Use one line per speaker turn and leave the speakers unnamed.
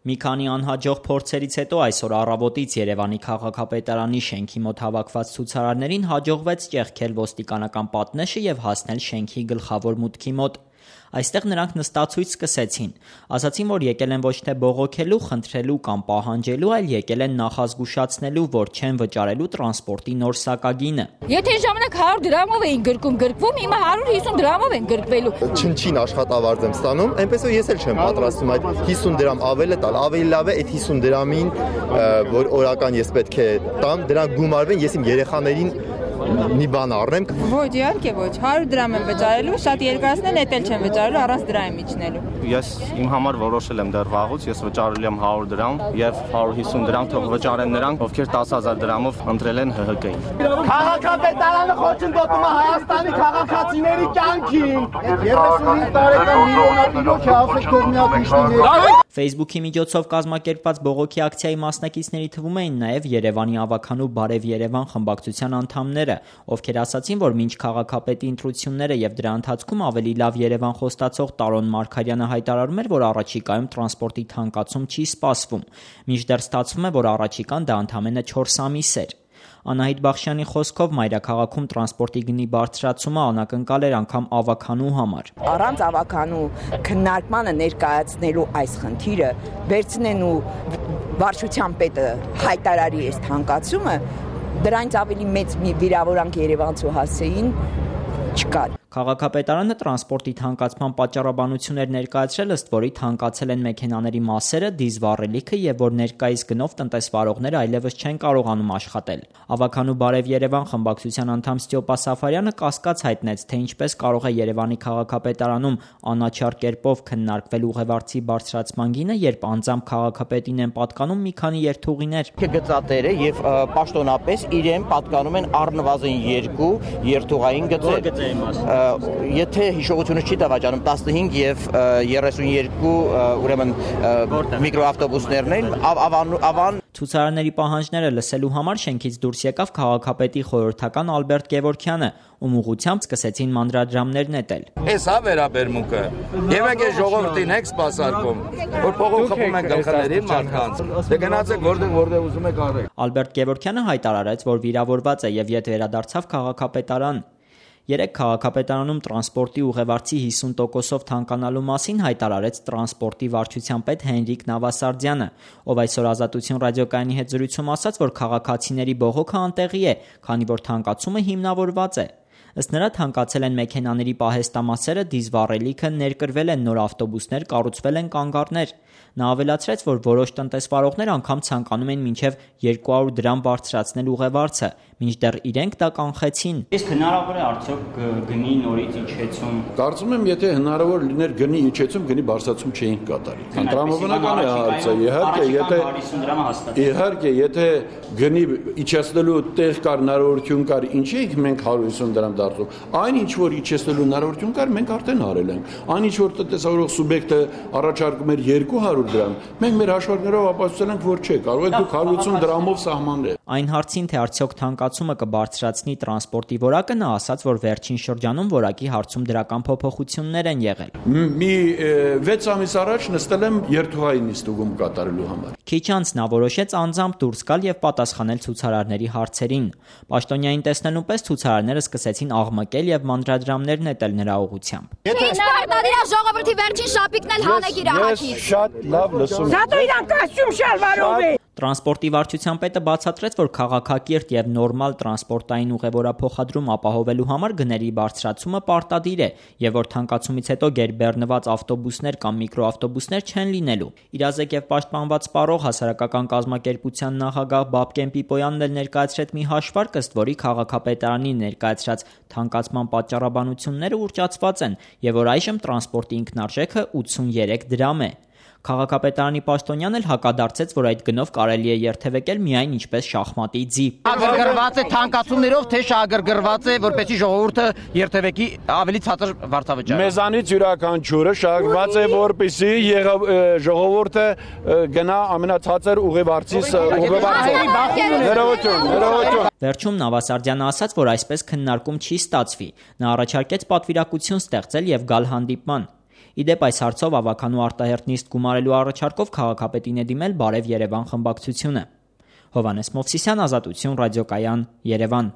Մի քանի անհաջող փորձերից հետո այսօր առավոտից Երևանի քաղաքապետարանի շենքի մոտ հավաքված ցուցարարներին հաջողվեց ճեղքել ոստիկանական պատնեշը եւ հասնել շենքի գլխավոր մուտքի մոտ։ Այստեղ նրանք նստացույց սկսեցին, ասացին, որ եկել են ոչ թե բողոքելու, խնդրելու կամ պահանջելու, այլ եկել են նախազգուշացնելու, որ չեն վճարելու տրանսպորտի նոր սակագինը։
Եթե ժամանակ 100 դրամով էին գրկվում, հիմա 150 դրամով են գրկվելու։
Չնչին աշխատավարձ եմ ստանում, այնպես որ ես էլ չեմ պատրաստվում այդ 50 դրամ ավելը տալ, ավելի լավ է այդ 50 դրամին, որ օրական ես պետք է տամ, դրանք գումարվեն, ես իմ երեխաներին մի բան առնեմ։
Ոչ, իհարկե ոչ, 100 դրամ եմ վճարելու, շատ երկրացնել էդ էլ չեմ վճարելու, առանց դրամի միջնելու։
Ես իմ համար որոշել եմ դեռ վաղուց, ես վճարել եմ 100 դրամ եւ 150 դրամ թող վճարեն նրանք, ովքեր 10000 դրամով ընտրել են ՀՀԿ-ին։
Քաղաքապետարանը խոչընդոտում է Հայաստանի քաղաքացիների կյանքին։ 35 տարեկան միլիոնատիրոջ է ասեք թող միակիշներ։
Facebook-ի միջոցով կազմակերպված բողոքի ակցիայի մասնակիցների թվում էին նաև Երևանի ավականու Բարև Երևան խմբակցության անդամները, ովքեր ասացին, որ մինչ քաղաքապետի ընտրությունները եւ դրա ընթացքում ավելի լավ Երևան խոստացող Տարոն Մարգարյանը հայտարարում էր, որ առաջիկայում տրանսպորտի թանկացում չի սպասվում, մինչդեռ ստացվում է, որ առաջիկան դա ընդամենը 4 ամիս էր։ Անահիտ Բախշյանի խոսքով մայրաքաղաքում տրանսպորտի գնի բարձրացումը անակնկալ էր անգամ ավականու համար։
Առանց ավականու քննարկմանը ներկայացնելու այս խնդիրը վերցնեն ու վարչության պետը հայտարարի այս թանկացումը, դրանից ավելի մեծ մի վիրավորանք երևանցու հասցեին չկա։
Քաղաքապետարանը տրանսպորտի թանկացման պատճառաբանություն էր ներկայացրել, ըստ որի թանկացել են մեքենաների մասերը, դիզվառելիքը եւ որ ներկայիս գնով տնտեսվարողները այլևս չեն կարողանում աշխատել։ Ավականու Բարև Երևան խմբակցության անդամ Ստյոպա Սաֆարյանը կասկած հայտնեց, թե ինչպես կարող է Երևանի քաղաքապետարանում անաչառ կերպով քննարկվել ուղևորցի բարձրացման գինը, երբ անձամբ քաղաքապետին են պատկանում մի քանի երթուղիներ։
Գծատերը եւ պաշտոնապես իրեն պատկանում են առնվազն 2 երթուղային գծեր։ Եթե հիշողությունը չի դավաճանում 15 եւ 32 ուրեմն միկրոավտոբուսներն են ավան
Ցուցարարների պահանջները լսելու համար շենքից դուրս եկավ քաղաքապետի խորհրդական Ալբերտ Գևորգյանը, ում ուղղությամբ սկսեցին մանրադրամներ նետել։
Էս է վերաբերմունքը։ Եվ եկե ժողովրդին եք սպասարկում, որ փողոք խփում են գլխներին մարդկանց։ Դե գնացեք որտեղ ուզում եք արեք։
Ալբերտ Գևորգյանը հայտարարեց, որ վիրավորված է եւ ետ վերադարձավ քաղաքապետարան։ Երեք քաղաքապետարանում տրանսպորտի ուղևորցի 50%-ով թանկանալու մասին հայտարարեց տրանսպորտի վարչության պետ Հենրիկ Նավասարդյանը, ով այսօր Ազատություն ռադիոկայանի հետ զրույցում ասաց, որ քաղաքացիների բողոքը անտեղի է, քանի որ թանկացումը հիմնավորված է։ Ըստ նրա թանկացել են մեքենաների պահեստամասերը, դիզվառելիքը, ներկրվել են նոր ավտոբուսներ, կառուցվել են կանգառներ։ Նա ավելացրեց, որ որոշ տնտեսվարողներ անգամ ցանկանում են մինչև 200 դրամ բարձրացնել ուղևորցը, մինչդեռ իրենք դա կանխեցին։
Իսկ հնարավոր է արդյոք գնի նորից իջեցում։
Կարծում եմ, եթե հնարավոր լիներ գնի իջեցում, գնի բարձրացում չէինք կատարի։ Տրամաբանական է հարցը, իհարկե, եթե գնի իջեցնելու տեղ կար, հնարավորություն կար, ինչի ենք մենք 150 դրամ դարձում։ Այն ինչ որ իջեցնելու հնարավորություն կար, մենք արդեն արել ենք։ Այն ինչ որ տնտեսավարող սուբյեկտը առաջարկում էր 200 դրամ, մենք մեր հաշվարկներով ապացուցել ենք, որ չէ, կարող է դուք 150 դրամով սահմանել։
Այն հարցին, թե արդյոք թանկացումը կբարձրացնի տրանսպորտի որակը, նա ասաց, որ վերջին շրջանում որակի հարցում դրական փոփոխություններ են եղել։
Մի 6 ամիս առաջ նստել եմ երթուղային նիստուգում կատարելու համար։
Քիչ անց նա որոշեց անձամբ դուրս գալ եւ պատասխանել ցուցարարների հարցերին։ Պաշտոնյային տեսնելու պես ցուցարարները սկսեցին աղմկել եւ մանրադրամներ նետել նրա ուղղությամբ։
Պարտադիր ժողովրդի վերջին շապիկն էլ հանեք իր ահագի։
Շատ լավ լսում եմ։
Զատո իրան կոստյում շալվարով է։
Տրանսպորտի վարչության պետը բացատրեց, որ քաղաքակիրթ եւ նորմալ տրանսպորտային ուղևորափոխադրում ապահովելու համար գների բարձրացումը պարտադիր է եւ որ թանկացումից հետո գերբեռնված ավտոբուսներ կամ միկրոավտոբուսներ չեն լինելու։ Իրազեկ եւ պաշտպանված սպառող հասարակական կազմակերպության նախագահ Բաբկեն Պիպոյանն էլ ներկայացրեց մի հաշվարկ, ըստ որի քաղաքապետարանի ներկայացրած թանկացման պատճառաբանությունները ուռճացված են եւ որ այժմ տրանսպորտի ինքնարժեքը 83 դրամ է։ Քաղաքապետարանի պաշտոնյան էլ հակադարձեց, որ այդ գնով կարելի է երթևեկել միայն ինչպես շախմատի ձի։
Ագրգռված է թանկացումներով, թե շահագրգռված է, որպեսզի ժողովուրդը երթևեկի ավելի ցածր վարձավճար։
Մեզանից յուրաքանչյուրը շահագրգռված է, որպեսզի ժողովուրդը գնա ամենացածր ուղևորցից Ներողություն։
Վերջում Նավասարդյանը ասաց, որ այսպես քննարկում չի ստացվի։ Նա առաջարկեց պատվիրակություն ստեղծել եւ գալ հանդիպման։ Ի դեպ, այս հարցով ավագանու արտահերթ նիստ գումարելու առաջարկով քաղաքապետին է դիմել Բարև Երևան խմբակցությունը։ Հովհաննես Մովսիսյան, Ազատություն, ռադիոկայան, Երևան։